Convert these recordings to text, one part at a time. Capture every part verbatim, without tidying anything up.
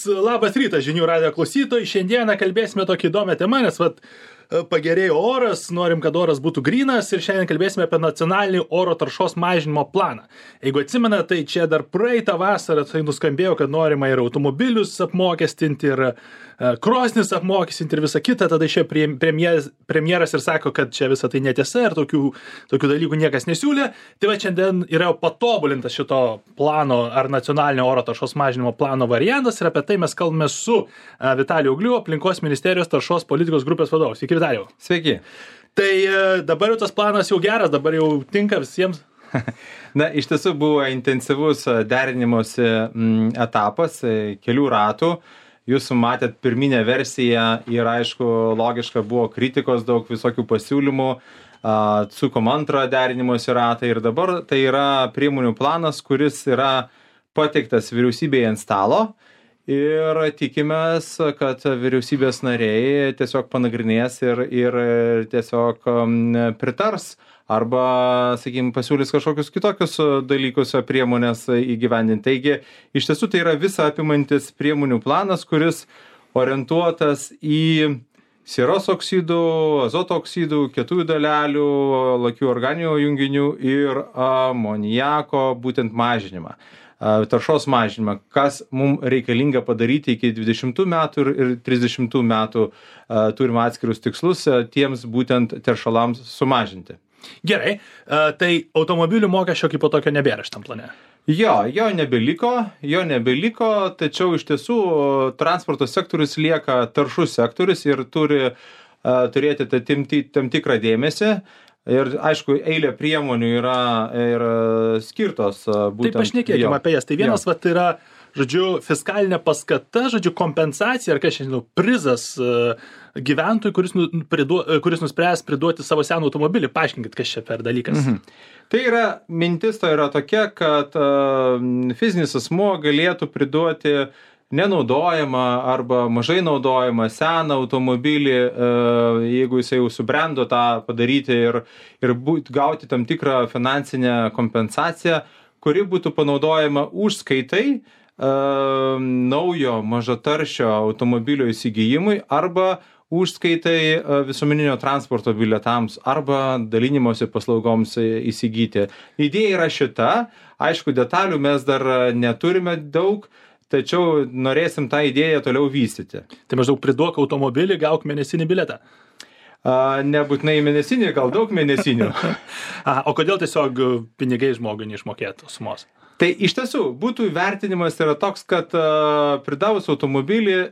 labas rytas žinių radijo klausytojai. Šiandieną kalbėsime tokią įdomią temą, nes vat, pagerėjo oras, norim, kad oras būtų grynas ir šiandien kalbėsime apie nacionalinį oro taršos mažinimo planą. Jeigu atsimena, tai čia dar praeitą vasarą tai nuskambėjo, kad norima ir automobilius apmokestinti, ir krosnis apmokestinti ir visą kitą. Tada išėjo premjeras, premjeras ir sako, kad čia visą tai netiesa ir tokių, tokių dalykų niekas nesiūlė. Tai va šiandien yra patobulintas šito plano ar nacionalinio oro taršos mažinimo plano variantas ir apie tai mes kalbame su Vitaliju Ugliu, aplinkos ministerijos taršos politikos grupės vadovas. Sveiki, Vitalijau. Sveiki. Tai dabar jau tas planas jau geras, dabar jau tinka visiems. Na, iš tiesų buvo intensyvus derinimosi etapas, kelių ratų. Jūs matėt pirminę versiją ir aišku, logiška buvo kritikos, daug visokių pasiūlymų, atsukom antrą derinimosi ratą ir dabar tai yra priemonių planas, kuris yra pateiktas vyriausybėje ant stalo. Ir tikimės, kad vyriausybės nariai tiesiog panagrinės ir, ir tiesiog pritars arba, sakykime, pasiūlys kažkokius kitokius dalykus, priemonės įgyvendinti. Taigi, iš tiesų tai yra visa apimantis priemonių planas, kuris orientuotas į sieros oksidų, azoto oksidų, kietųjų dalelių, lakių organinių junginių ir amoniako būtent mažinimą. Taršos mažinimą, kas mums reikalinga padaryti iki dvidešimtų metų ir, ir trisdešimtų metų uh, turim atskirus tikslus uh, tiems būtent teršalams sumažinti. Gerai, uh, tai automobilių mokesčio kaip po tokio nebėra šitam plane? Jo, jo nebeliko, jo nebeliko, tačiau iš tiesų transporto sektorius lieka taršus sektorius ir turi uh, turėti tam, tam tikrą dėmesį. Ir aišku, eilė priemonių yra ir skirtos būtent. Taip, pašnekėkime apie jas. Tai vienas vat, yra, žodžiu, fiskalinė paskata, žodžiu, kompensacija, ar kas šiandien, prizas gyventojui, kuris, nu, priduo, kuris nuspręs priduoti savo seną automobilį. Paaiškinkit, kas čia per dalykas. Mhm. Tai yra, mintis to yra tokia, kad uh, fizinis asmuo galėtų priduoti nenaudojama arba mažai naudojama seną automobilį, jeigu jisai jau subrendo tą padaryti ir, ir būt, gauti tam tikrą finansinę kompensaciją, kuri būtų panaudojama užskaitai uh, naujo mažataršio automobilio įsigijimui arba užskaitai uh, visuomeninio transporto bilietams arba dalinimosi paslaugoms įsigyti. Idėja yra šita, aišku, detalių mes dar neturime daug, tačiau norėsim tą idėją toliau vystyti. Tai maždaug priduok automobilį, gauk mėnesinį bilietą. A, nebūtinai mėnesinį, gal daug mėnesinių. A, o kodėl tiesiog pinigai žmogui neišmokėtų sumos? Tai iš tiesų, būtų įvertinimas yra toks, kad a, pridavus automobilį a,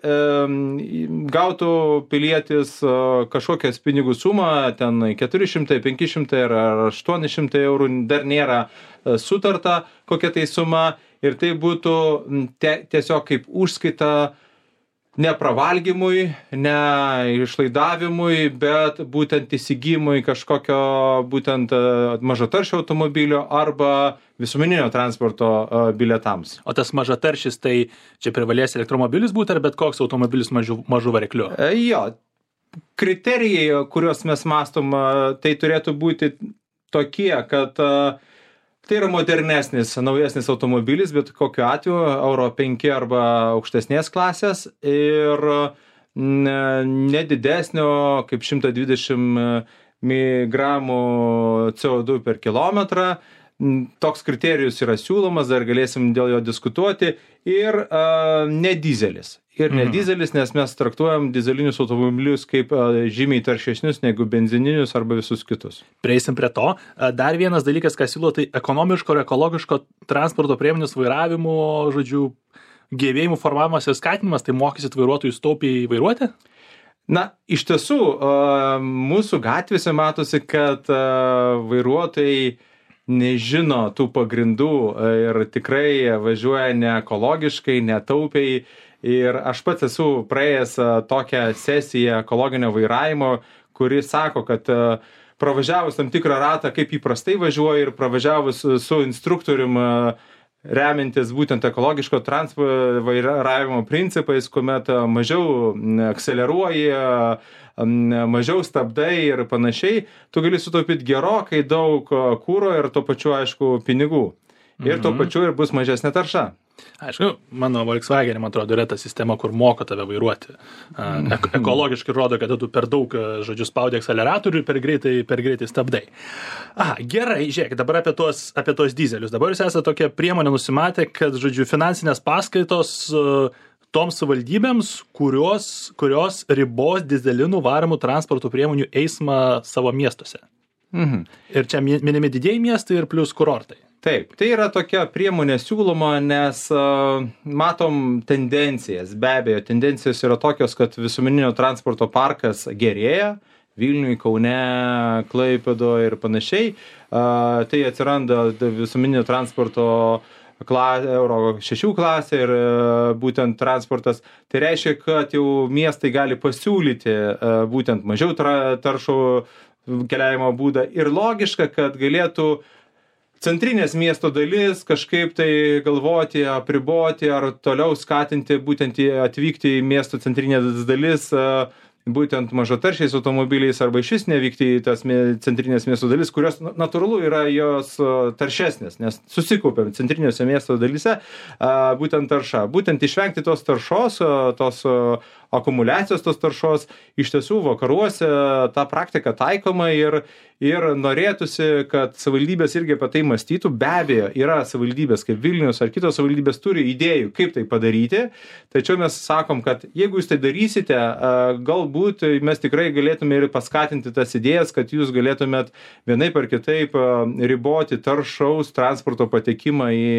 gautų pilietis a, kažkokias pinigų sumą, ten keturi šimtai, penki šimtai ar aštuoni šimtai eurų, dar nėra a, sutarta kokia tai suma. Ir tai būtų te, tiesiog kaip užskaita ne pravalgymui, ne išlaidavimui, bet būtent įsigijimui kažkokio būtent mažataršio automobilio arba visuomeninio transporto bilietams. O tas mažataršis, tai čia privalės elektromobilis būti ar bet koks automobilis mažų, mažų variklių? Jo, kriterijai, kuriuos mes mastom, tai turėtų būti tokie, kad tai yra modernesnis, naujesnis automobilis, bet kokiu atveju Euro penki arba aukštesnės klasės ir nedidesnio kaip šimtas dvidešimt miligramų C O du per kilometrą. Toks kriterijus yra siūlomas, dar galėsim dėl jo diskutuoti ir uh, ne dizelis. Ir ne dizelis, nes mes traktuojam dizelinius automobilius kaip žymiai taršesnius negu benzininius arba visus kitus. Prieisim prie to. Dar vienas dalykas, ką siūlo, tai ekonomiško ir ekologiško transporto priemonės vairavimo, žodžiu, gebėjimų formavimas ir skatinimas, tai mokysit vairuotojus taupiai vairuoti? Na, iš tiesų, mūsų gatvėse matosi, kad vairuotojai nežino tų pagrindų ir tikrai važiuoja ne ekologiškai, netaupiai. Ir aš pats esu praėjęs tokią sesiją ekologinio vairavimo, kuri sako, kad pravažiavus tam tikrą ratą, kaip įprastai važiuoja ir pravažiavus su instruktorium remintis būtent ekologiško transporto vairavimo principais, kuomet mažiau akceleruoji, mažiau stabdai ir panašiai, tu gali sutaupyti gerokai daug kuro ir tuo pačiu, aišku, pinigų. ir tuo pačiu ir bus mažesnė tarša. Aišku, mano Volkswagen, man atrodo, yra ta sistema, kur moko tave vairuoti. Ek ekologiškai rodo, kad tu per daug, žodžiu, spaudi akceleratorių ir per greitai, per greitai stabdai. Aha, gerai, žiūrėk, dabar apie tos, apie tos dizelius. Dabar jūs esate tokią priemonę nusimatę, kad, žodžiu, finansinės paskaitos toms savivaldybėms, kurios, kurios ribos dizelinų varomų transporto priemonių eismą savo miestuose. Mhm. Ir čia minimi didieji miestai ir plus kurortai. Taip, tai yra tokia priemonė siūloma, nes uh, matom tendencijas. Be abejo, tendencijos yra tokios, kad visuomeninio transporto parkas gerėja, Vilniui, Kaune, Klaipėdoje ir panašiai. Uh, tai atsiranda visuomeninio transporto kla, euro šešių klasė ir uh, būtent transportas. Tai reiškia, kad jau miestai gali pasiūlyti uh, būtent mažiau tra, taršų keliavimo būdą ir logiška, kad galėtų centrinės miesto dalis kažkaip tai galvoti, apriboti ar toliau skatinti būtent atvykti į miesto centrinės dalis būtent mažataršiais automobiliais arba išvis nevykti į tas centrinės miesto dalis, kurios natūralu yra jos taršesnės, nes susikaupiam centrinėse miesto dalyse būtent tarša. Būtent išvengti tos taršos, tos akumuliacijos tos taršos, iš tiesų vakaruose ta praktika taikoma ir, ir norėtųsi, kad savivaldybės irgi apie tai mąstytų. Be abejo, yra savivaldybės kaip Vilnius ar kitos savivaldybės turi idėjų, kaip tai padaryti, tačiau mes sakom, kad jeigu jūs tai darysite, galbūt mes tikrai galėtume ir paskatinti tas idėjas, kad jūs galėtumėt vienaip ar kitaip riboti taršaus transporto patekimą į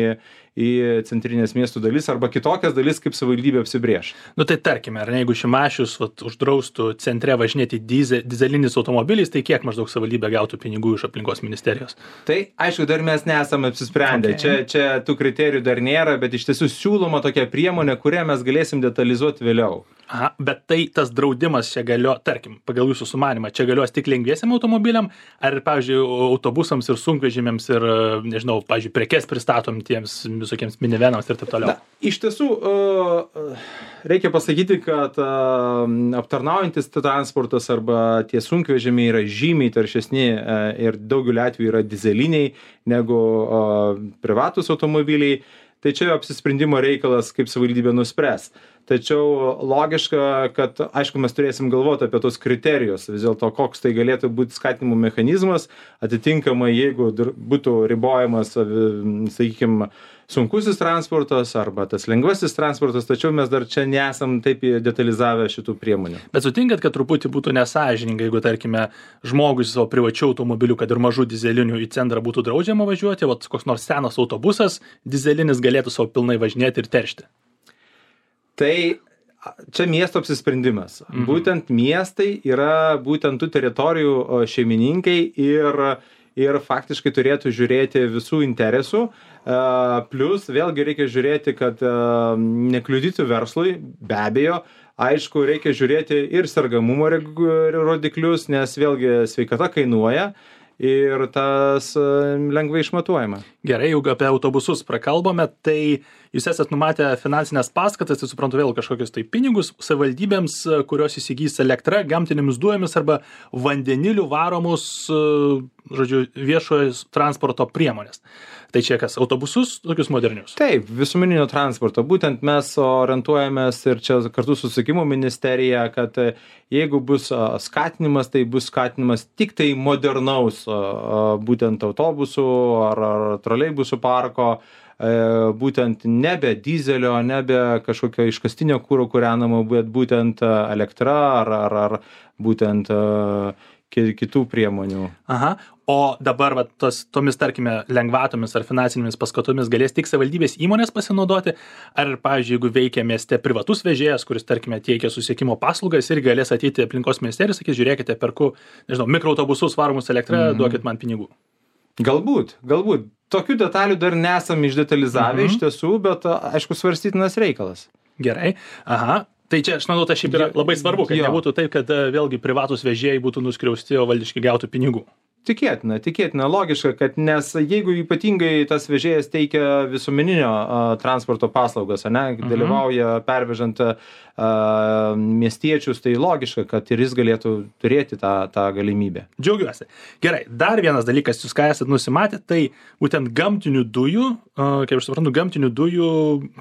į centrinės miestų dalis arba kitokias dalis, kaip savivaldybė apsibrėš. Nu tai tarkime, ar ne, jeigu Šimašius vat, uždraustų centre važinėti dize, dizelinis automobilis, tai kiek maždaug savivaldybė gautų pinigų iš aplinkos ministerijos? Tai aišku, dar mes nesame apsisprendę. Okay. Čia, čia tų kriterijų dar nėra, bet iš tiesų siūloma tokia priemonė, kurią mes galėsim detalizuoti vėliau. Aha, bet tai tas draudimas čia galio, tarkim, pagal jūsų sumanimą, čia galios tik lengviesiam automobiliam, ar, pavyzdžiui, autobusams ir sunkvežimiams ir, nežinau, pavyzdžiui, prekes pristatom tiems visokiems minivenams ir taip toliau? Na, iš tiesų, reikia pasakyti, kad aptarnaujantis transportas arba tie sunkvežimiai yra žymiai taršesni ir daugeliu atveju yra dizeliniai negu privatus automobiliai. Tai čia apsisprendimo reikalas, kaip savivaldybė nuspręs. Tačiau logiška, kad, aišku, mes turėsim galvoti apie tos kriterijus, vis dėlto koks tai galėtų būti skatinimo mechanizmas, atitinkamai, jeigu būtų ribojamas, sakykime, sunkusis transportas arba tas lengvasis transportas, tačiau mes dar čia nesam taip detalizavę šitų priemonių. Bet sutinkat, kad truputį būtų nesąžininga, jeigu, tarkime, žmogus savo privačių automobilių, kad ir mažų dizelinių į centrą būtų draudžiama važiuoti, vat koks nors senas autobusas dizelinis galėtų savo pilnai važinėti ir teršti. Tai čia miesto apsisprendimas. Mhm. Būtent miestai yra būtent tų teritorijų šeimininkai ir, ir faktiškai turėtų žiūrėti visų interesų. Plus vėlgi reikia žiūrėti, kad nekliudytų verslui, be abejo. Aišku, reikia žiūrėti ir sergamumo rodiklius, nes vėlgi sveikata kainuoja. Ir tas lengvai išmatuojama. Gerai, jeigu apie autobusus prakalbame, tai jūs esat numatę finansinės paskatas, tai suprantu vėl kažkokius tai pinigus savivaldybėms, kurios įsigys elektrą, gamtinėmis dujomis arba vandeniliu varomus, žodžiu, viešojo transporto priemonės. Tai čia kas, autobusus, tokius modernius? Taip, visuomeninio transporto. Būtent mes orientuojamės ir čia kartu su susisiekimo ministerija, kad jeigu bus skatinimas, tai bus skatinimas tik tai modernaus būtent autobusų ar, ar troleibusų parko, būtent nebe dizelio, nebe kažkokio iškastinio kuro kūrenamo, bet būtent elektra ar, ar, ar būtent kitų priemonių. Aha. O dabar va, tos, tomis, tarkime, lengvatomis ar finansinėmis paskatomis galės tik savivaldybės įmonės pasinaudoti, ar, pavyzdžiui, jeigu veikia mieste privatus vežėjas, kuris, tarkime, teikia susisiekimo paslaugas ir galės ateiti aplinkos ministerijos, sakys, žiūrėkite, perku, nežinau, mikroautobusus varomus elektrą, mm-hmm. duokit man pinigų. Galbūt, galbūt. Tokių detalių dar nesam išdetalizavę mm-hmm. iš tiesų, bet, aišku, svarstytinas reikalas. Gerai. Aha. Tai čia, aš manau, tai šiaip yra labai svarbu, kad jo. Nebūtų taip, kad vėlgi privatus vežėjai būtų nuskriausti, o valdiškai gautų pinigų. Tikėtina, tikėtina, logiška, kad nes jeigu ypatingai tas vežėjas teikia visuomeninio a, transporto paslaugas, ane, Mhm. dalyvauja pervežant a, miestiečius, tai logiška, kad ir jis galėtų turėti tą, tą galimybę. Džiaugiuosi. Gerai, dar vienas dalykas, jūs ką esat nusimatę, tai būtent gamtinių dujų, a, kaip aš suprantu, gamtinių dujų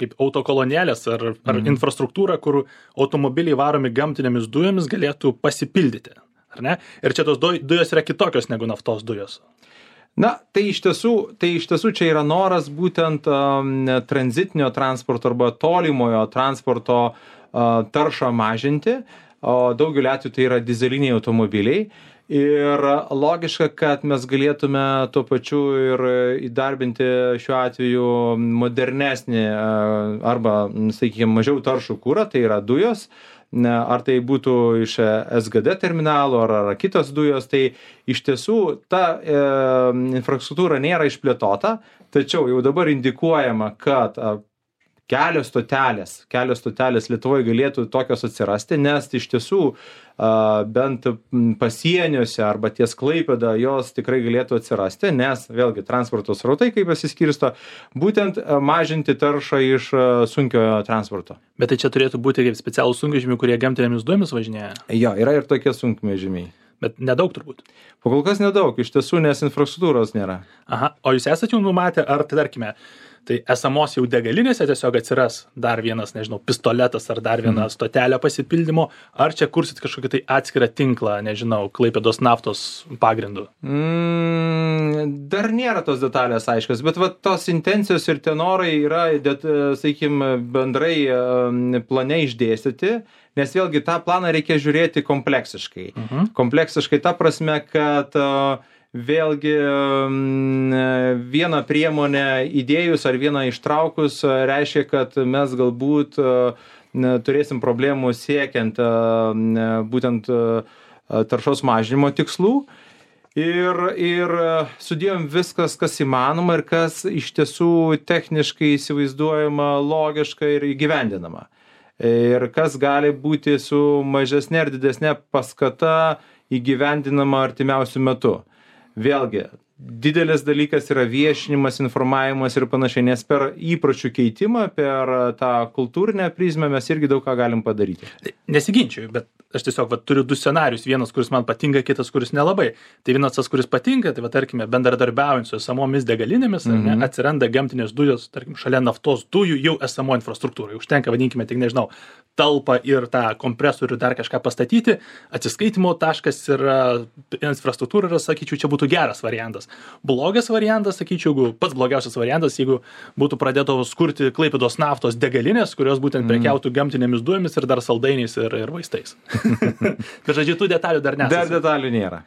kaip autokolonėlės ar, ar Mhm. infrastruktūra, kur automobiliai varomi gamtinėmis dujomis galėtų pasipildyti. Ar ne? Ir čia tos du- dujos yra kitokios negu naftos dujos. Na, tai iš tiesų, tai iš tiesų čia yra noras būtent um, tranzitinio transporto arba tolimojo transporto uh, taršą mažinti, o daugeliu atveju tai yra dizeliniai automobiliai. Ir logiška, kad mes galėtume tuo pačiu ir įdarbinti šiuo atveju modernesnį uh, arba, sakykime, mažiau taršų kurą, tai yra dujos. Ar tai būtų iš S G D terminalo ar, ar kitos dujos, tai iš tiesų ta e, infrastruktūra nėra išplėtota, tačiau jau dabar indikuojama, kad a, kelios stotelės, kelios stotelės Lietuvoje galėtų tokios atsirasti, nes iš tiesų a, bent pasieniuose arba ties Klaipėda jos tikrai galėtų atsirasti, nes vėlgi transporto srautai kaip pasiskirsto, būtent a, mažinti taršą iš a, sunkiojo transporto. Bet tai čia turėtų būti kaip specialūs sunkvežimiai, kurie gamtinėmis dujomis važinėja. Jo, yra ir tokie sunkvežimiai. Bet nedaug turbūt. Po kol kas nedaug, iš tiesų, nes infrastruktūros nėra. Aha, o jūs esate jau numatę, ar tai tarkime, tai esamos jau degalinėse tiesiog atsiras dar vienas, nežinau, pistoletas ar dar viena stotelė pasipildymo, ar čia kursit kažkokį tai atskirą tinklą, nežinau, Klaipėdos naftos pagrindų? Mm, dar nėra tos detalės aiškios, bet va, tos intencijos ir tenorai yra, sakykime, bendrai um, plane išdėstyti, nes vėlgi tą planą reikia žiūrėti kompleksiškai. Mhm. Kompleksiškai ta prasme, kad uh, vėlgi vieną priemonę įdėjus ar vieną ištraukus reiškia, kad mes galbūt turėsim problemų siekiant būtent taršos mažinimo tikslų. Ir, ir sudėjom viskas, kas įmanoma ir kas iš tiesų techniškai įsivaizduojama, logiška ir įgyvendinama. Ir kas gali būti su mažesnė ar didesnė paskata įgyvendinama artimiausiu metu. Vėlgi, didelis dalykas yra viešinimas, informavimas ir panašiai, nes per įpročių keitimą, per tą kultūrinę prizmę mes irgi daug ką galim padaryti. Nesiginčiu, bet aš tiesiog va, turiu du scenarius, vienas, kuris man patinka, kitas, kuris nelabai. Tai vienas tas, kuris patinka, tai va, tarkime, bendradarbiaujant su esamomis degalinėmis, mm-hmm. ne, atsiranda gamtinės dujos, tarkim, šalia naftos dujų jau esamo infrastruktūrai. Užtenka, vadinkime, tik nežinau, talpą ir tą kompresorių dar kažką pastatyti, atsiskaitimo taškas ir infrastruktūra, ir, sakyčiau, čia būtų geras variantas. Blogas variantas, sakyčiau, pats blogiausias variantas, jeigu būtų pradėtos kurti Klaipėdos naftos degalinės, kurios būtent prekiautų mm. gamtinėmis dujomis ir dar saldainiais ir, ir vaistais. Bet žodžiu, tų detalių dar nesame. Dar detalių nėra.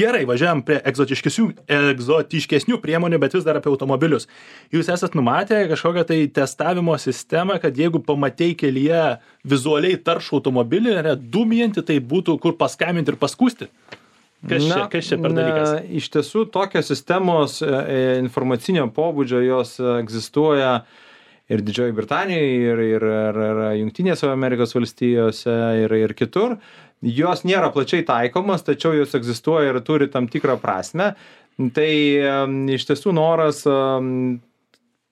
Gerai, važiuojam prie egzotiškesnių, egzotiškesnių priemonių, bet vis dar apie automobilius. Jūs esat numatę kažkokią tai testavimo sistemą, kad jeigu pamatei kelyje vizualiai taršų automobilį, ne, dūmijantį, tai būtų kur paskambinti ir paskūsti? Kas, na, čia, kas čia per dalykas? Na, iš tiesų, tokios sistemos e, informacinio pobūdžio jos egzistuoja ir Didžioji Britanijoje, ir, ir, ir, ir Jungtinėse Amerikos valstijose, ir, ir kitur. Jos nėra plačiai taikomas, tačiau jos egzistuoja ir turi tam tikrą prasme. Tai um, iš tiesų noras um,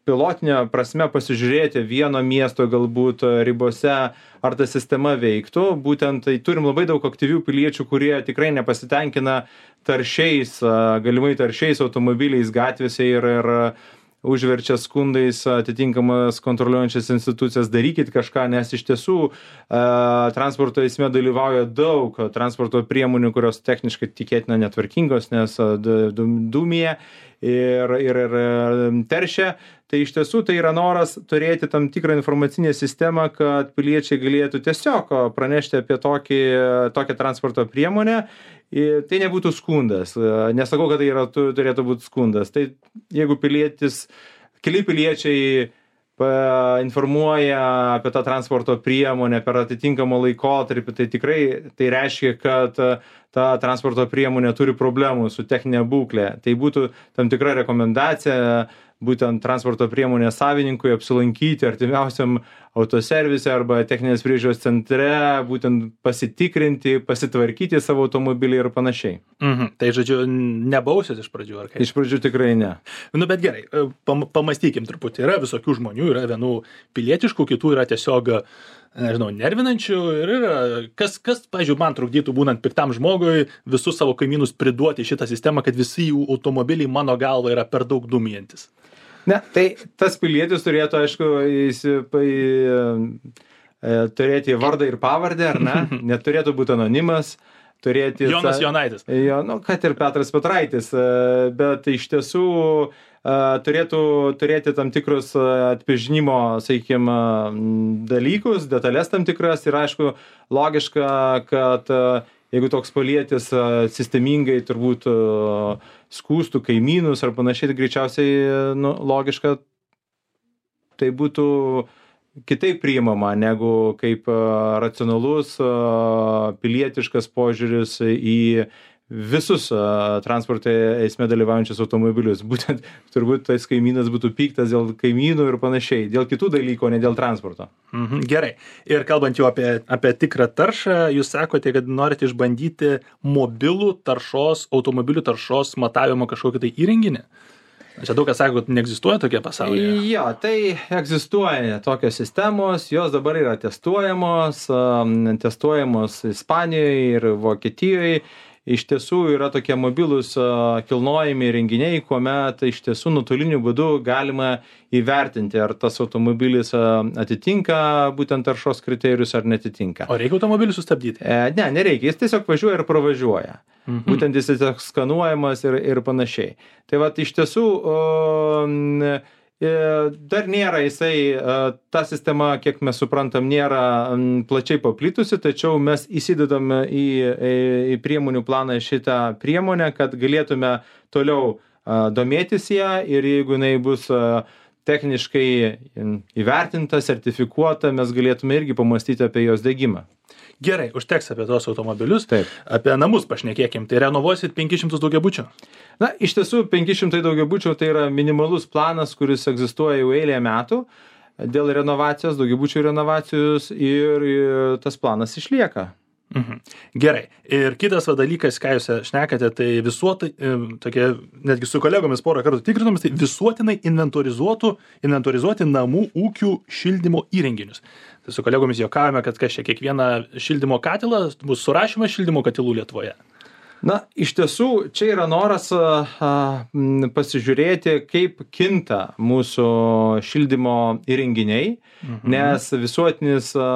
pilotinė prasme pasižiūrėti vieno miesto galbūt ribose, ar ta sistema veiktų. Būtent tai turim labai daug aktyvių piliečių, kurie tikrai nepasitenkina taršiais, galimai taršiais automobiliais gatvėse ir, ir užverčia skundais atitinkamas kontroliuojančias institucijas, darykit kažką, nes iš tiesų e, transporto eisme dalyvauja daug transporto priemonių, kurios techniškai tikėtina netvarkingos, nes dūmija ir, ir, ir teršia. Tai iš tiesų tai yra noras turėti tam tikrą informacinę sistemą, kad piliečiai galėtų tiesiog pranešti apie tokį, tokią transporto priemonę. Tai nebūtų skundas. Nesakau, kad tai yra, turėtų būti skundas. Tai jeigu pilietis, keli piliečiai informuoja apie tą transporto priemonę per atitinkamą laikotarpį, tai tikrai tai reiškia, kad ta transporto priemonė turi problemų su techninė būklė. Tai būtų tam tikra rekomendacija būtent transporto priemonės savininkui apsilankyti artimiausiam autoservise arba techninės priežiūros centre, būtent pasitikrinti, pasitvarkyti savo automobilį ir panašiai. Mhm. Tai žodžiu, nebausis iš pradžių, ar kaip? Iš pradžių tikrai ne. Nu, bet gerai, pam, pamastykim truputį. Yra visokių žmonių, yra vienų pilietiškų, kitų yra tiesiog, nežinau, nervinančių ir yra, kas, kas, pavyzdžiui, man trukdytų būnant piktam žmogui visus savo kaimynus priduoti šitą sistemą, kad visi jų automobiliai mano galva yra per daug dūmijantis. Ne, tai tas pilietis turėtų, aišku, įsipai, turėti vardą ir pavardę, ar ne? Neturėtų būti anonimas, turėti... Jonas Jonaitis. Jo, nu, kad ir Petras Petraitis, bet iš tiesų turėtų turėti tam tikrus atpažinimo, sakykime, dalykus, detalės tam tikras ir, aišku, logiška, kad jeigu toks pilietis sistemingai turbūt skųstų kaimynus ar panašiai, tai greičiausiai nu, logiška tai būtų kitaip priimama negu kaip racionalus pilietiškas požiūris į visus transporto eisme dalyvaujančius automobilius. Būtent turbūt tas kaimynas būtų piktas dėl kaimynų ir panašiai, dėl kitų dalykų, o ne dėl transporto. Mhm, gerai. Ir kalbant jau apie, apie tikrą taršą, jūs sakote, kad norite išbandyti mobilų taršos, automobilių taršos matavimo kažkokį tai įrenginį. Čia daug kas sako, kad neegzistuoja tokie pasaulyje. Jo, tai egzistuoja tokios sistemos, jos dabar yra testuojamos, testuojamos Ispanijoje ir Vokietijoje. Iš tiesų yra tokie mobilūs kilnojami renginiai, kuomet iš tiesų nuotoliniu būdu galima įvertinti, ar tas automobilis atitinka būtent taršos kriterijus ar netitinka. O reikia automobilį sustabdyti? E, ne, nereikia, jis tiesiog važiuoja ir pravažiuoja. Mhm. Būtent jis tiesiog skanuojamas ir, ir panašiai. Tai vat iš tiesų o, dar nėra jisai, ta sistema, kiek mes suprantam, nėra plačiai paplitusi, tačiau mes įsidedam į, į priemonių planą šitą priemonę, kad galėtume toliau domėtis ją ir jeigu jinai bus techniškai įvertinta, sertifikuota, mes galėtume irgi pamastyti apie jos diegimą. Gerai, užteks apie tos automobilius. Taip. Apie namus pašnekėkim. Tai renovuosit penkis šimtus daugiabučių? Na, iš tiesų, penki šimtai daugiabučių tai yra minimalus planas, kuris egzistuoja jau eilę metų dėl renovacijos, daugiabučių renovacijos ir tas planas išlieka. Mhm. Gerai. Ir kitas va dalykas, ką jūs šnekate, tai visuotai, tokie, netgi su kolegomis porą kartų tikrinomis, tai visuotinai inventorizuotų, inventorizuoti namų ūkių šildymo įrenginius. Tai su kolegomis juokavome, kad kas čia kiekvieną šildymo katilą bus surašymas šildymo katilų Lietuvoje. Na, iš tiesų, čia yra noras a, pasižiūrėti, kaip kinta mūsų šildymo įrenginiai, mhm. nes visuotinis a,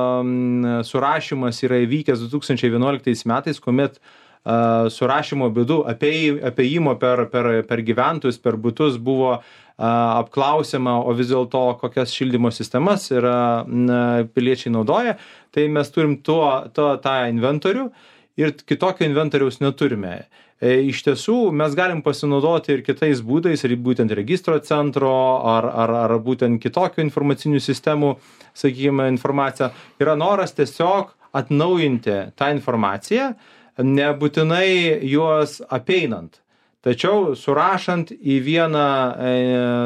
surašymas yra įvykęs du tūkstančiai vienuoliktais metais, kuomet a, surašymo būdu apėjimo per, per, per gyventojus, per butus buvo a, apklausiama, o vis dėlto kokias šildymo sistemas yra na, piliečiai naudoja, tai mes turim tuo, to, tą inventorių. Ir kitokio inventoriaus neturime. E, iš tiesų, mes galim pasinaudoti ir kitais būdais, ir būtent registro centro, ar, ar, ar būtent kitokio informacinių sistemų, sakykime, informaciją. Yra noras tiesiog atnaujinti tą informaciją, nebūtinai juos apeinant. Tačiau surašant į vieną, e,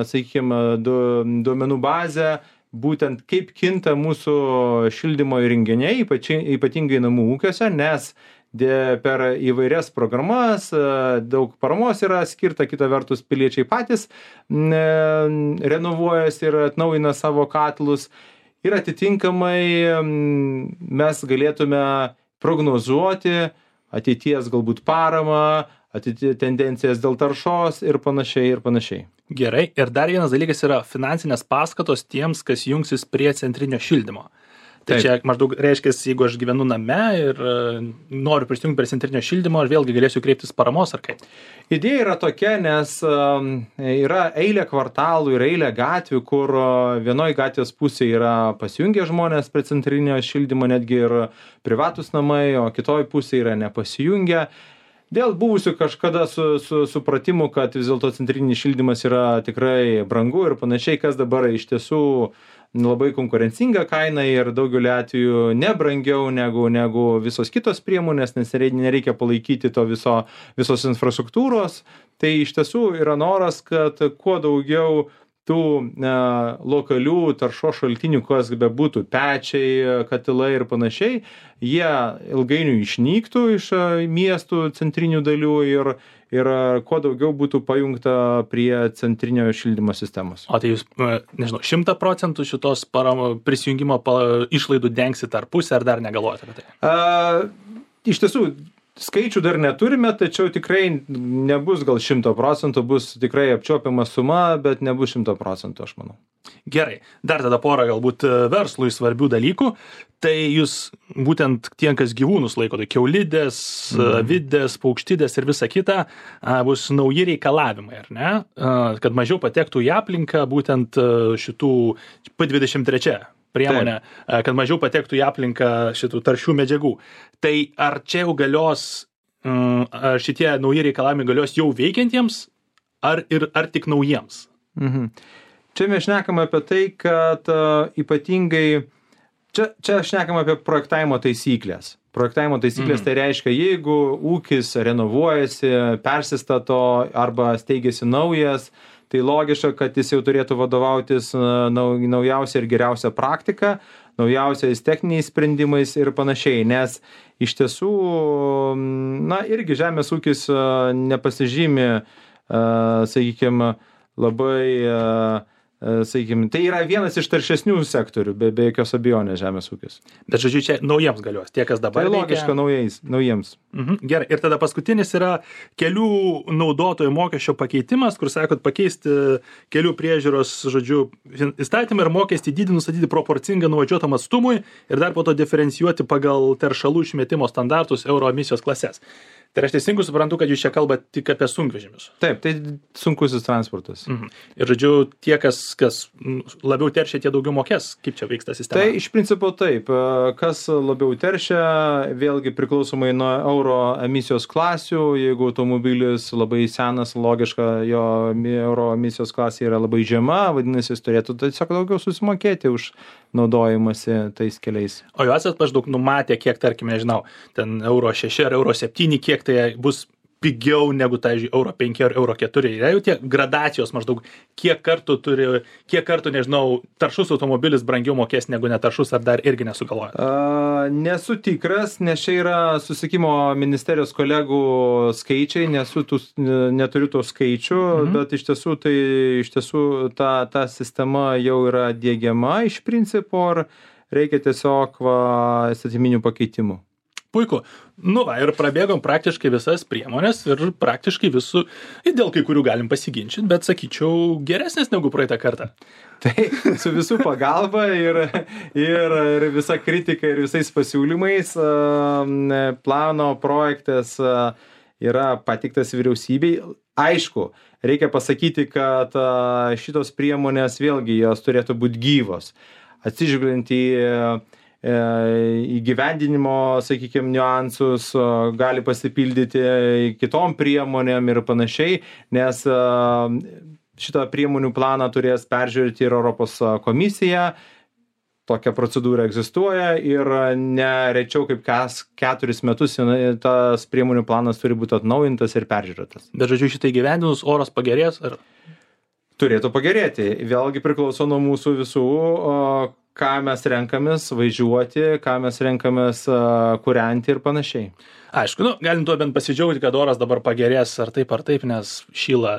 sakykime, du, duomenų bazę, būtent kaip kinta mūsų šildymo įrenginiai, ypatingai namų ūkiuose, nes per įvairias programas daug paramos yra skirta, kita vertus piliečiai patys renovuojasi ir atnaujina savo katilus ir atitinkamai mes galėtume prognozuoti ateities galbūt paramą, ateities tendencijas dėl taršos ir panašiai ir panašiai. Gerai. Ir dar vienas dalykas yra finansinės paskatos tiems, kas jungsis prie centrinio šildymo. Tai Taip. Čia maždaug reiškia, jeigu aš gyvenu name ir noriu prisijungti prie centrinio šildymo, ar vėlgi galėsiu kreiptis paramos ar kaip? Idėja yra tokia, nes yra eilė kvartalų ir eilė gatvių, kur vienoj gatvės pusėje yra pasijungę žmonės prie centrinio šildymo, netgi ir privatus namai, o kitoj pusėje yra nepasijungę. Dėl buvusių kažkada su, su, supratimu, kad vis dėlto centrinis šildymas yra tikrai brangu ir panašiai, kas dabar iš tiesų labai konkurencinga kaina ir daugeliu atveju nebrangiau negu, negu visos kitos priemonės, nes nereikia palaikyti to viso, visos infrastruktūros. Tai iš tiesų yra noras, kad kuo daugiau tų e, lokalių taršos šaltinių, kas be būtų, pečiai, katilai ir panašiai, jie ilgainiui išnyktų iš e, miestų centrinių dalių ir, ir e, kuo daugiau būtų pajungta prie centrinio šildymo sistemos. O tai jūs, e, nežinau, šimtą procentų šitos paramo, prisijungimo pa, išlaidų dengsit ar pusę, ar dar negalvojate apie tai? A, iš tiesų, skaičių dar neturime, tačiau tikrai nebus gal šimto procentų, bus tikrai apčiuopiama suma, bet nebus šimto procentų, aš manau. Gerai, dar tada porą galbūt verslui svarbių dalykų. Tai jūs būtent tie, kas gyvūnus laiko, tai kiaulidės, mm. vidės, paukštidės ir visa kita, bus nauji reikalavimai, ar ne? Kad mažiau patektų į aplinką būtent šitų P dvidešimt trys priemonė, Taip. Kad mažiau patektų į aplinką šitų taršių medžiagų. Tai ar čia jau galios, ar šitie nauji reikalavimai galios jau veikiantiems, ar, ir, ar tik naujiems? Mhm. Čia mes šnekam apie tai, kad uh, ypatingai, čia, čia šnekam apie projektavimo taisyklės. Projektavimo taisyklės mhm. tai reiškia, jeigu ūkis renovuojasi, persistato arba steigiasi naujas, tai logiška, kad jis jau turėtų vadovautis nau, naujausia ir geriausia praktika, naujausiais techniniais sprendimais ir panašiai, nes iš tiesų, na, irgi žemės ūkis nepasižymi, sakykime, labai, sakykime, tai yra vienas iš taršesnių sektorių, be, be jokios abejonės žemės ūkis. Bet žodžiu, čia naujiems galios, tie, kas dabar tai logiška veikia... naujais, naujiems. Mhm, gerai, ir tada paskutinis yra kelių naudotojų mokesčio pakeitimas, kur sakot pakeisti kelių priežiūros, žodžiu, įstatymą ir mokestį dydį nustatyti proporcingą nuvažiuotam atstumui ir dar po to diferencijuoti pagal teršalų išmetimo standartus euro emisijos klases. Tai aš teisingai suprantu, kad jūs čia kalbate tik apie sunkvežimius. Taip, tai sunkusis transportas. Mhm. Ir žodžiu, tie, kas, kas labiau teršia, tie daugiau mokės. Kaip čia vyksta sistema? Tai iš principo taip. Kas labiau teršia, vėlgi priklausomai nuo euro emisijos klasių. Jeigu automobilis labai senas, logiška, jo euro emisijos klasė yra labai žema, vadinasi, jis turėtų tiesiog daugiau susimokėti už naudojimąsi tais keliais. O jūs esat maždaug numatę, kiek, tarkim, nežinau, ten euro šeši ar euro septyni, kiek tai bus pigiau negu, tai euro penki ar euro keturi. Yra jau tie gradacijos maždaug, kiek kartų turi, kiek kartų, nežinau, taršus automobilis brangiau mokės negu netaršus, ar dar irgi nesugalvoja? Uh, nesu tikras, nes čia yra susikimo ministerijos kolegų skaičiai, nesu tų, neturiu tų skaičių, mhm. bet iš tiesų, tai, iš tiesų ta, ta sistema jau yra diegiama iš principo, ar reikia tiesiog va, įstatyminių pakeitimų. Puiku. Nu va, ir prabėgom praktiškai visas priemonės ir praktiškai visų, ir dėl kai kurių galim pasiginčyti, bet sakyčiau, geresnės negu praeitą kartą. Tai su visų pagalba ir, ir, ir visa kritika ir visais pasiūlymais plano projektas yra patiktas vyriausybei. Aišku, reikia pasakyti, kad šitos priemonės vėlgi jos turėtų būti gyvos. Atsižvelgiant į įgyvendinimo, sakykime, niuansus, gali pasipildyti kitom priemonėm ir panašiai, nes šitą priemonių planą turės peržiūrėti ir Europos komisija. Tokia procedūra egzistuoja ir ne rečiau kaip kas keturis metus tas priemonių planas turi būti atnaujintas ir peržiūrėtas. Bet žodžiu, šitai gyvendinus oras pagerės? Ar... Turėtų pagerėti. Vėlgi priklauso nuo mūsų visų, ką mes renkamės važiuoti, ką mes renkamės kūrenti ir panašiai. Aišku, nu, galim tuo bent pasidžiaugti, kad oras dabar pagerės ar taip ar taip, nes šyla,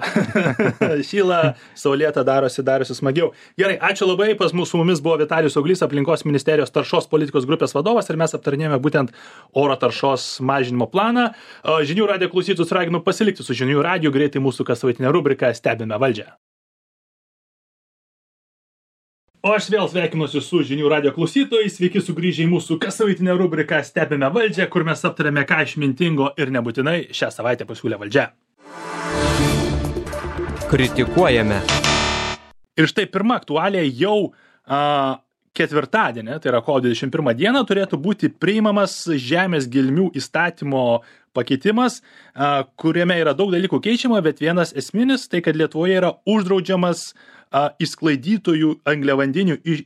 šyla, saulėta darosi, darosi smagiau. Gerai, ačiū labai, pas mūsų su mumis buvo Vitalijus Auglys, aplinkos ministerijos taršos politikos grupės vadovas ir mes aptarinėjome būtent oro taršos mažinimo planą. Žinių radijo klausytojus raginu pasilikti su Žinių radiju, greitai mūsų kassavaitinė rubrika Stebime valdžią. O aš vėl sveikinuosi su Žinių radijo klausytojais, sveiki sugrįžę į mūsų kassavaitinę rubriką Stebime valdžią, kur mes aptarėme, ką išmintingo ir nebūtinai šią savaitę pasiūlė valdžia. Kritikuojame. Ir štai pirma aktualija jau a, ketvirtadienį, tai yra kovo dvidešimt pirmą dieną, turėtų būti priimamas žemės gelmių įstatymo pakeitimas, a, kuriame yra daug dalykų keičiama, bet vienas esminis, tai kad Lietuvoje yra uždraudžiamas a, išsklaidytojų angliavandenių iš,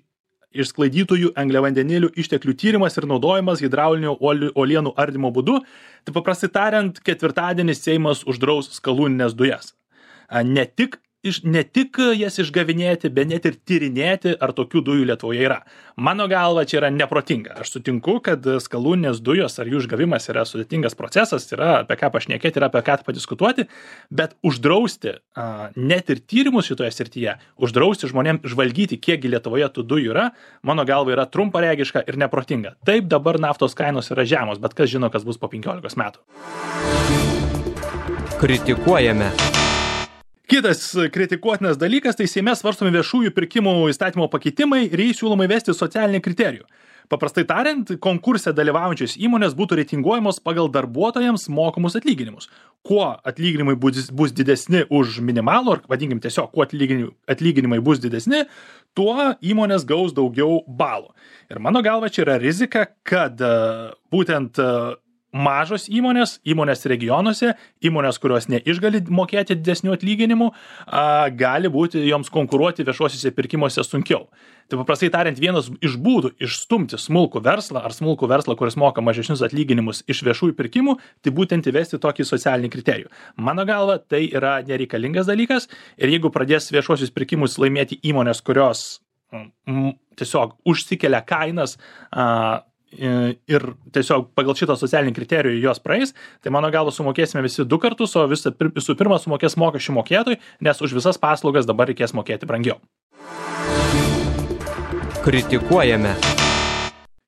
išsklaidytojų angliavandenilių išteklių tyrimas ir naudojimas hidraulinių uolienų ardymo būdu. Tai paprastai tariant, ketvirtadienį Seimas uždraus skalūnines dujas. A, ne tik iš, ne tik jas išgavinėti, bet net ir tyrinėti, ar tokių dujų Lietuvoje yra. Mano galva, čia yra neprotinga. Aš sutinku, kad skalūninės dujos ar jų išgavimas yra sudėtingas procesas, yra apie ką pašnekėti, yra apie ką padiskutuoti, bet uždrausti a, net ir tyrimus šitoje srityje, uždrausti žmonėms žvalgyti, kiekgi Lietuvoje tų dujų yra, mano galva yra trumparegiška ir neprotinga. Taip, dabar naftos kainos yra žemos, bet kas žino, kas bus po penkiolikos metų. Kritikuojame. Kitas kritikuotinas dalykas, tai Seime svarstomi viešųjų pirkimų įstatymo pakeitimai ir jais siūloma įvesti socialinį kriterijų. Paprastai tariant, konkurse dalyvaujančios įmonės būtų reitinguojamos pagal darbuotojams mokamus atlyginimus. Kuo atlyginimai bus, bus didesni už minimalų, ar vadinkim tiesiog, kuo atlyginimai, atlyginimai bus didesni, tuo įmonės gaus daugiau balų. Ir mano galva čia yra rizika, kad uh, būtent uh, mažos įmonės, įmonės regionuose, įmonės, kurios neišgali mokėti didesnių atlyginimų, a, gali būti joms konkuruoti viešuosiuose pirkimuose sunkiau. Tai paprastai tariant, vienas iš būdų išstumti smulkų verslą ar smulkų verslą, kuris moka mažesnius atlyginimus iš viešųjų pirkimų, tai būtent įvesti tokį socialinį kriterijų. Mano galva, tai yra nereikalingas dalykas ir jeigu pradės viešuosius pirkimus laimėti įmonės, kurios m, tiesiog užsikelia kainas, a, ir tiesiog pagal šitą socialinį kriterijų jos praeis, tai mano galva sumokėsime visi du kartus, o visų visų pirma sumokės mokesčių mokėtojai, nes už visas paslaugas dabar reikės mokėti brangiau. Kritikuojame.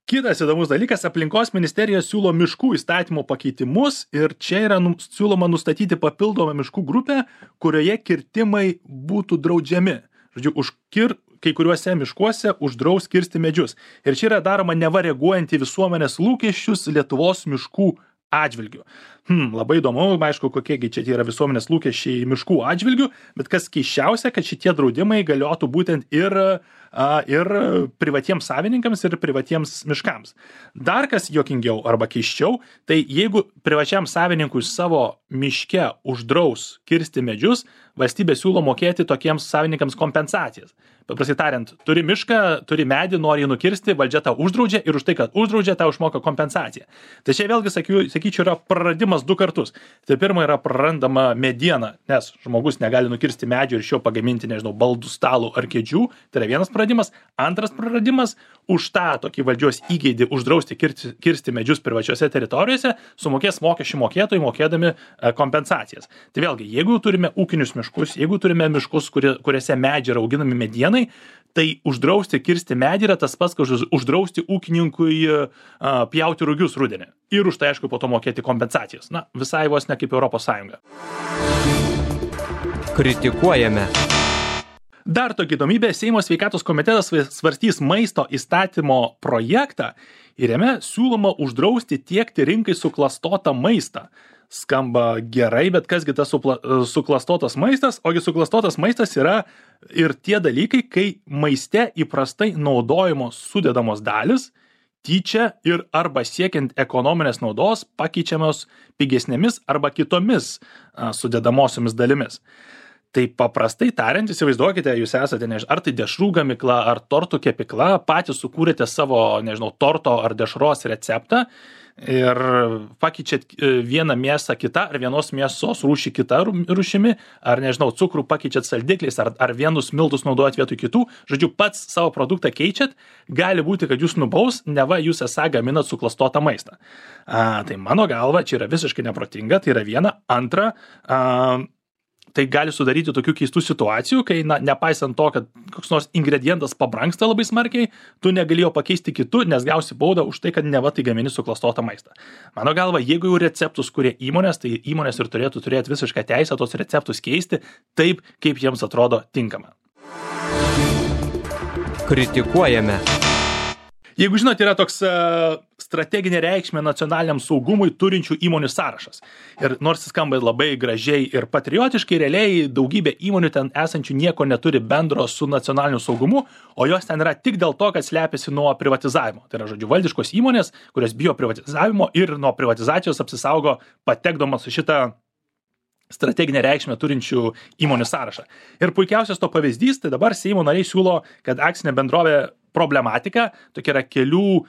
Kitas įdomus dalykas, aplinkos ministerija siūlo miškų įstatymo pakeitimus ir čia yra nu, siūloma nustatyti papildomą miškų grupę, kurioje kirtimai būtų draudžiami. Žodžiu, už kir kai kuriuose miškuose uždraus kirsti medžius. Ir čia yra daroma neva reaguojant į visuomenės lūkesčius Lietuvos miškų atžvilgių. Hmm, labai įdomu, aišku, kokiegi čia yra visuomenės lūkesčiai miškų atžvilgių, bet kas keisčiausia, kad šitie draudimai galiotų būtent ir, a, ir privatiems savininkams ir privatiems miškams. Dar kas juokingiau arba keisčiau, tai jeigu privačiam savininkui savo miške uždraus kirsti medžius, valstybė siūlo mokėti tokiems savininkams kompensacijas. Paprastai tariant, turi mišką, turi medį, nori jį nukirsti, valdžia tau uždraudžia ir už tai, kad uždraudžia, tau išmoka kompensaciją. Tai čia vėlgi, sakyčiau, sakyčiau yra praradimas du kartus. Tai pirma yra prarandama mediena, nes žmogus negali nukirsti medžio ir iš jo pagaminti, nežinau, baldų, stalų ar kėdžių. Tai yra vienas praradimas. Antras praradimas, už tą tokį valdžios įgeidį uždrausti kirsti, kirsti medžius privačiose teritorijose, sumokės mokesčių mokėtojai mokėdami kompensacijas. Tai vėlgi, jeigu turime ūkinius miškus, jeigu turime miškus, kurie, kuriuose medžiai yra auginami medienai, tai uždrausti kirsti medį yra tas pats, kad uždrausti ūkininkui uh, pjauti rugius rudenį. Ir už tai, aišku, po to mokėti kompensacijas. Na, visai vos ne kaip Europos Sąjunga. Kritikuojame. Dar tokia įdomybė, Seimo sveikatos komitetas svarstys maisto įstatymo projektą ir jame siūloma uždrausti tiekti rinkai suklastotą maistą. Skamba gerai, bet kasgi tas supla, suklastotas maistas? Ogi suklastotas maistas yra ir tie dalykai, kai maiste įprastai naudojamos sudedamos dalis, tyčia ir arba siekiant ekonominės naudos pakeičiamos pigesnėmis arba kitomis a, sudedamosiomis dalimis. Tai paprastai tariant, įsivaizduokite, jūs esate, nežinau, ar tai dešrų gamykla, ar tortų kepikla, patys sukūrėte savo, nežinau, torto ar dešros receptą ir pakeičiat vieną mėsą kitą, ar vienos mėsos rūšį kitą rūšimi, ar, nežinau, cukrų pakeičiat saldikliais, ar, ar vienus miltus naudojat vietoj kitų. Žodžiu, pats savo produktą keičiat, gali būti, kad jūs nubaus, neva jūs esą gaminat suklastotą maistą. A, tai mano galva, čia yra visiškai neprotinga, tai yra viena. Antra, a, tai gali sudaryti tokių keistų situacijų, kai, na, nepaisant to, kad koks nors ingredientas pabrangsta labai smarkiai, tu negali jo pakeisti kitu, nes gausi baudą už tai, kad neva tai gamini suklastotą maistą. Mano galva, jeigu jau receptus kuria įmonės, tai įmonės ir turėtų turėti visišką teisę tos receptus keisti taip, kaip jiems atrodo tinkama. Kritikuojame. Jeigu žinot, yra toks uh, strateginė reikšmė nacionaliniam saugumui turinčių įmonių sąrašas. Ir nors jis skamba labai gražiai ir patriotiškai, realiai daugybė įmonių ten esančių nieko neturi bendro su nacionaliniu saugumu, o jos ten yra tik dėl to, kad slepiasi nuo privatizavimo. Tai yra, žodžiu, valdiškos įmonės, kurios bijo privatizavimo ir nuo privatizacijos apsisaugo patekdamas su šitą strateginę reikšmę turinčių įmonių sąrašą. Ir puikiausias to pavyzdys, tai dabar Seimo nariai siūlo, kad akcinė bendrovė problematika, tokia yra kelių,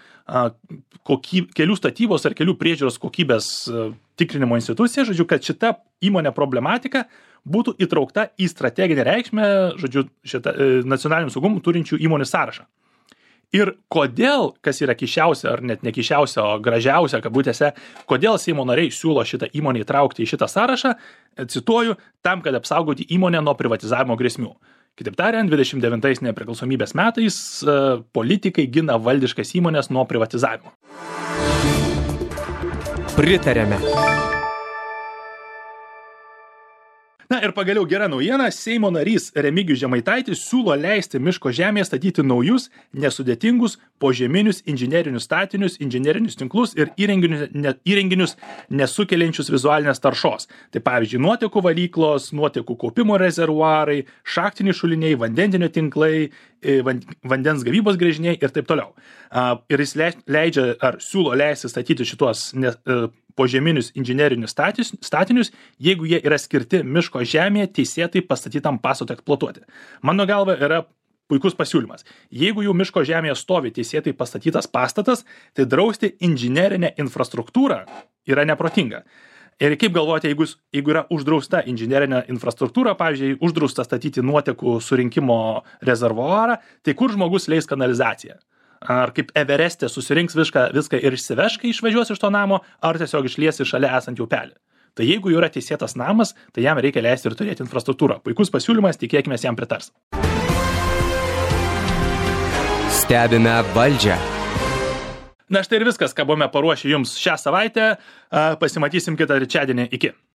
kokyb, kelių statybos ar kelių priežiūros kokybės tikrinimo institucija, žodžiu, kad šita įmonė problematika būtų įtraukta į strateginę reikšmę, žodžiu, šitą e, nacionalinių saugumų turinčių įmonių sąrašą. Ir kodėl, kas yra keisčiausia, ar net nekeisčiausia, o gražiausia, kabutėse, kodėl Seimo nariai siūlo šitą įmonę įtraukti į šitą sąrašą, cituoju, tam, kad apsaugoti įmonę nuo privatizavimo grėsmių. Kitaip tariant, dvidešimt devintais nepriklausomybės metais politikai gina valdiškas įmonės nuo privatizavimo. Pritarėme. Na ir pagaliau gera naujiena, Seimo narys Remigijus Žemaitaitis siūlo leisti miško žemėje statyti naujus, nesudėtingus, požeminius inžinerinius statinius, inžinerinius tinklus ir įrenginius, ne, įrenginius nesukeliančius vizualinės taršos. Tai pavyzdžiui, nuotekų valyklos, nuotekų kaupimo rezervuarai, šachtiniai šuliniai, vandentinio tinklai, vandens gavybos gręžiniai ir taip toliau. Ir jis leidžia ar siūlo leisti statyti šitos ne, požeminius inžinerinius statinius, jeigu jie yra skirti miško žemėje teisėtai pastatytam pastatui eksploatuoti. Mano galva yra puikus pasiūlymas. Jeigu jau miško žemėje stovi teisėtai pastatytas pastatas, tai drausti inžinerinę infrastruktūrą yra neprotinga. Ir kaip galvojate, jeigu, jeigu yra uždrausta inžinerinė infrastruktūra, pavyzdžiui, uždrausta statyti nuotekų surinkimo rezervuarą, tai kur žmogus leis kanalizaciją? Ar kaip Evereste susirinks viską, viską ir išsiveš, kai išvažiuos iš to namo, ar tiesiog išliesi šalia esantį upelį. Tai jeigu jau yra teisėtas namas, tai jam reikia leisti ir turėti infrastruktūrą. Puikus pasiūlymas, tikėkime, jam pritars. Stebime valdžią. Na štai ir viskas, ką buvome paruošę jums šią savaitę. Pasimatysim kitą trečiadienį. Iki.